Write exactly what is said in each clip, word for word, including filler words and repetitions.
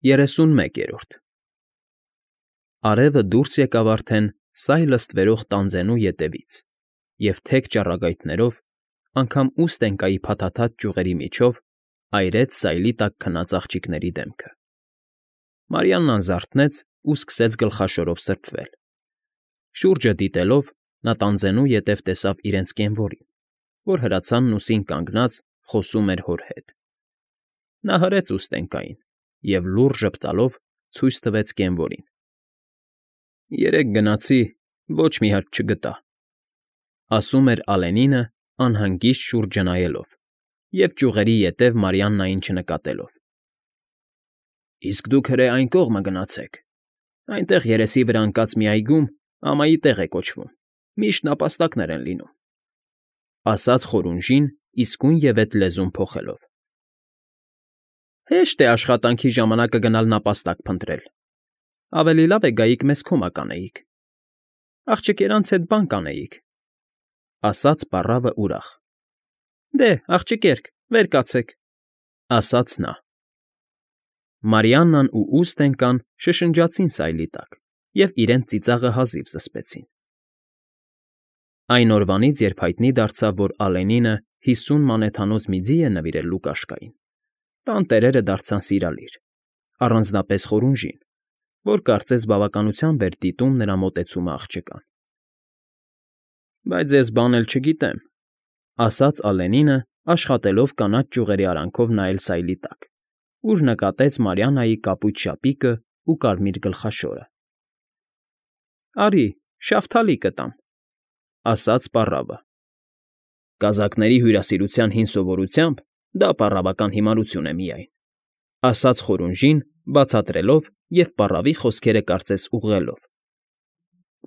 Երեսունմեկերորդ Արևը դուրս եկավ արդեն սայլ լստվերող տանձենու ետևից և թեք ճառագայթներով, անգամ ուստենկայի փաթաթած ճյուղերի միջով այրեց սայլի տակ քնած աղջիկների դեմքը։ Մարիաննան զարթնեց ու սկսեց գլխաշորով սրբվել։ Շուրջը դիտելով՝ նա տանձենու ետև տեսավ իրենց կենվորին, որ հրացանն ուսին կանգնած խոսում էր հոր հետ։ Նա հրեց ուստենկային և լուռ ժպտալով ցույց տվեց կենվորին։ «Երեկ գնացի, ոչ մի հարց չգտա,֊ ասում էր Ալենինը անհանգիստ շուրջը նայելով և ճյուղերի ետև Մարիաննային չնկատելով։ «Իսկ դուք հրե այն կողմը գնացեք, այնտեղ երեսի վրա ընկած մի այգում ամայի տեղ է կոչվում, միշտ նապաստակներ են լինում,֊ ասաց խորունժին իսկույնևեթ լեզուն փոխելով։ «Հեշտ է աշխատանքի ժամանակը գնալ նապաստակ փնտրել, ավելի լավ է գայիք մեզ քոմակ անեիք, աղջկերանց հետ բան կանեիք,֊ ասաց պառավը ուրախ։ Դե, աղջիկերք, վեր կացեք,֊ ասաց նա։ Մարիաննան ու ուստենկան շշնջացին սայլի տակ և իրենց ծիծաղը հազիվ զսպեցին։ Այն օրվանից, երբ հայտնի դարձավ, որ Ալենինը հիսուն մանեթանոց մի ձի է նվիրել Լուկաշկային, տան տերերը դարձան սիրալիր, առանձնապես խորունժին, որ կարծես բավականությամբ էր դիտում նրա մոտեցումը աղջկան։ «Բայց ես բան էլ չգիտեմ,֊ ասաց Ալենինը, աշխատելով կանաչ ճյուղերի արանքով նայել սայլի տակ, ուր նկատեց Մարիաննայի կապույտ շապիկն ու կարմիր գլխաշորը։ Արի, շավթալի կտամ,֊ ասաց պառավը։ Կազակների հյուրասիրության հին սովորությամբ դա պառավական հիմարություն է միայն,֊ ասաց խորունժին, բացատրելով և պառավի խոսքերը կարծես ուղղելով։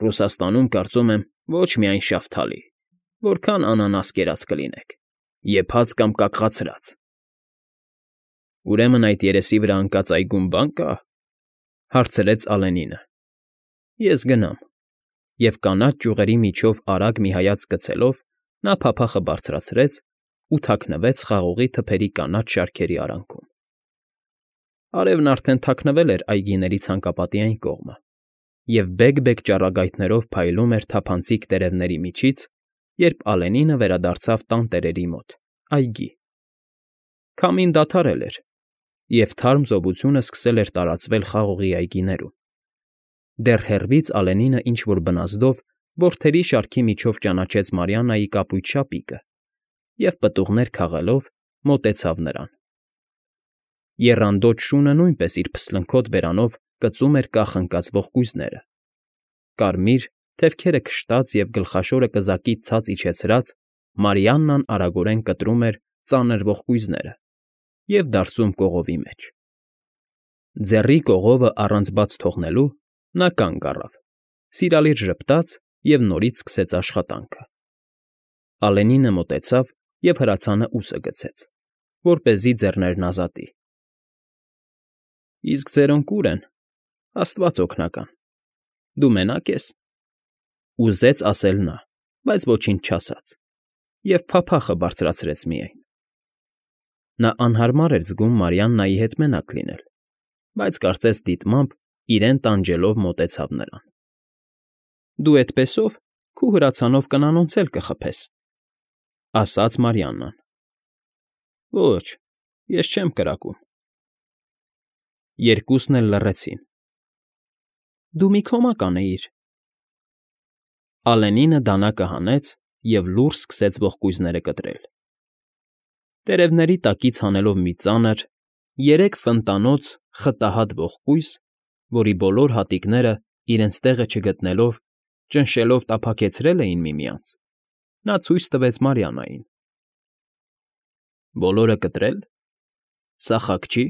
Ռուսաստանում, կարծում եմ, ոչ միայն շավթալի, որքան անանաս կերած կլինեք, եփած կամ կակղացրած։ Ուրեմն այդ երեսի վրա ընկած այգում բան կա՞, հարցրեց Ալենինը։ Ես գնամ,֊ և կանաչ ճյուղերի միջով արագ մի հայացք գցելով նա փափախը բարձրացրեց ու թաքնվեց խաղողի թփերի կանաչ շարքերի արանքում։ Արևն արդեն թաքնվել էր այգիների ցանկապատի այն կողմը և բեկ֊բեկ ճառագայթներով փայլում էր թափանցիկ տերևների միջից, երբ Ալենինը վերադարձավ տանտերերի մոտ, այգի։ Քամին դադարել էր, և թարմ զովությունը սկսել էր տարածվել խաղողի այգիներում։ Դեռ հեռվից Ալենինը ինչ֊որ բնազդով որդերի շարքի միջով ճանաչեց Մարիաննայի կապույտ շապիկը և, պտուղներ քաղելով, մոտեցավ նրան։ Եռանդոտ շունը նույնպես իր փսլնքոտ բերանով կծում էր կախ ընկած ողկույզները։ Կարմիր, թևքերը քշտած և գլխաշորը կզակից ցած իջեցրած՝ Մարիաննան արագորեն կտրում էր ծանր ողկույզները և դարսում կողովի մեջ։ Ձեռի կողովը առանց բաց թողնելու՝ նա կանգ առավ, սիրալիր ժպտաց և նորից սկսեց աշխատանքը։ Ալենինը մոտեցավ և հրացանը ուսը գցեց, որպեսզի ձեռներն ազատի։ Իսկ ձերոնք ո՞ւր են, աստված օգնական, դու մենա՞կ ես,֊ ուզեց ասել նա, բայց ոչինչ չասաց և փափախը բարձրացրեց միայն։ Նա անհարմար էր զգում Մարիաննայի հետ մենակ լինել, բայց կարծես դիտմամբ իրեն տանջելով մոտեցավ նրան։ Դու էդպեսով քու հրացանով կնանոնց էլ կխփես,֊ ասաց Մարիաննան։ Ոչ, ես չեմ կրակում։ Երկուսն էլ լռեցին։ Դու մի քոմակ անեիր։ Ալենինը դանակը հանեց և լուռ սկսեց ողկույզները կտրել։ Տերևների տակից հանելով մի ծանր, երեք ֆնտանոց խտահատ ողկույզ, որի բոլոր հատիկները, իրենց տեղը չգտնելով, ճնշելով տափակեցրել էին միմյանց, նա ցույց տվեց Մարիաննային։ Բոլորը կտրե՞լ, սա խաք չի։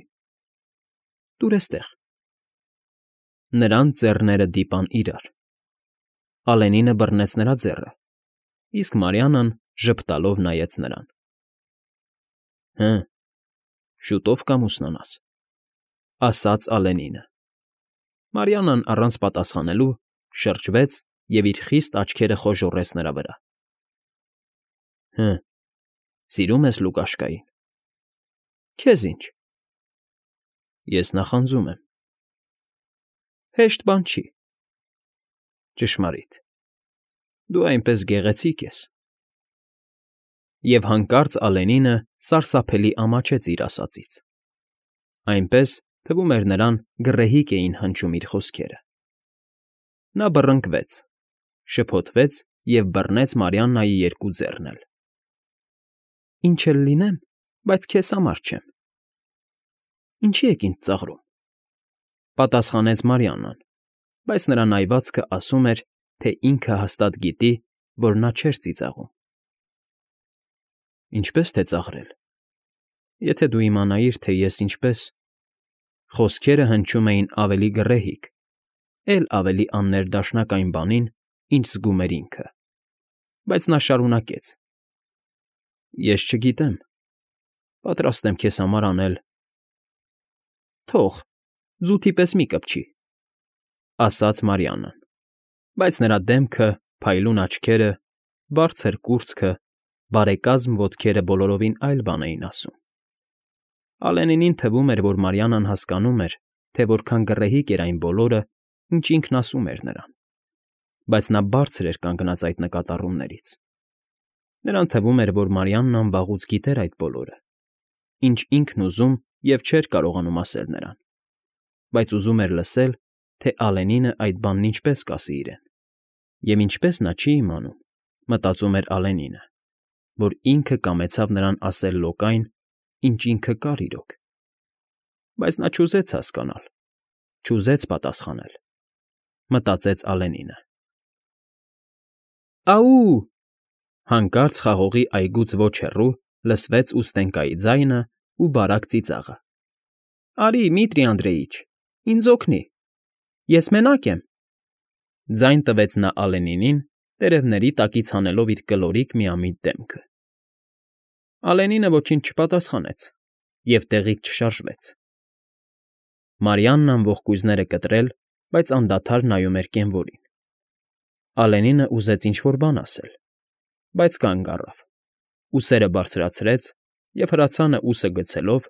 Տուր էստեղ։ Նրանց ձեռները դիպան իրար։ Ալենինը բռնեց նրա ձեռը, իսկ Մարիաննան ժպտալով նայեց նրան։ Հը, շուտով կամուսնանաս,֊ ասաց Ալենինը։ Մարիաննան առանց պատասխանելու շրջվեց և իր խիստ աչքերը խոժոռեց նրա վրա։ Հը, սիրո՞ւմ ես Լուկաշկային։ Քեզ ինչ։ Ես նախանձում եմ։ Հեշտ բան չի։ Ճշմարիտ։ Դու այնպես գեղեցիկ ես։ Եվ հանկարծ Ալենինը սարսափելի ամաչեց իր ասածից. այնպես, թվում էր նրան, գռեհիկ էին հնչում իր խոսքերը։ Նա բռնկվեց, շփոթվեց և բռնեց Մարիաննայի երկու ձեռն էլ։ Ինչ էլ լինեմ, բայց քեզ համար չեմ։ Ինչի եք ինձ ծաղրում, պատասխանեց Մարիաննան, բայց նրա նայվածքը ասում էր, թե ինքը հաստատ գիտի, որ նա չէր ծիծաղում։ Ինչպե՞ս թե ծաղրել, եթե դու իմանայիր, թե ես ինչպես… Խոսքերը հնչում էին ավելի գռեհիկ, էլ ավելի աններդաշնակ այն բանին, ինչ զգում էր ինքը, բայց նա շարունակեց. Ես չգիտեմ, պատրաստ եմ քեզ համար անել… Թող, ձութի պես մի կպչի, ասաց Մարիաննան, բայց նրա դեմքը, փայլուն աչքերը, բարձր կուրծքը, բարեկազմ ոտքերը բոլորովին այլ բան էին ասում։ Ալենինին թվում էր, որ Մարիաննան հասկանում էր, թե որքան գռեհիկ էր այն բոլորը, ինչ ինքն ասում էր նրան, բայց նա բարձր էր կանգնած այդ նկատառումներից։ Նրան թվում էր, որ Մարիաննան վաղուց գիտեր այդ բոլորը, ինչ ինքն ուզում և չէր կարողանում ասել նրան, բայց ուզում էր լսել, թե Ալենինը այդ բանն ինչպես կասի իրեն, և ինչպես նա չի իմանում, մտածում էր Ալենինը, որ ինքը կամեցավ նրան ասել լոկ այն, ինչ ինքը կար իրոք, բայց նա չուզեց հասկանալ, չուզեց պատասխանել, մտածեց Ալենինը։ Ա՜ու… Հանկարծ խաղողի այգուց ոչ հեռու լսվեց Ուստենկայի ձայնը ու բարակ ծիծաղը։ Արի, Դմիտրի Անդրեիչ, ինձ օգնի… Ես մենակ եմ… Ձայն տվեց նա Ալենինին, տերևների տակից հանելով իր կլորիկ միամիտ դեմքը։ Ալենինը ոչինչ չպատասխանեց և տեղից չշարժվեց։ Մարիաննան ողկույզները կտրել, բայց անդադար նայում էր կենվորին։ Ալենինը ուզեց ինչ֊որ բան ասել, բայց կանգ առավ, ուսերը բարձրացրեց և հրացանը ուսը գցելով,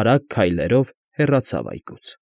արագ քայլերով հեռացավ այգուց։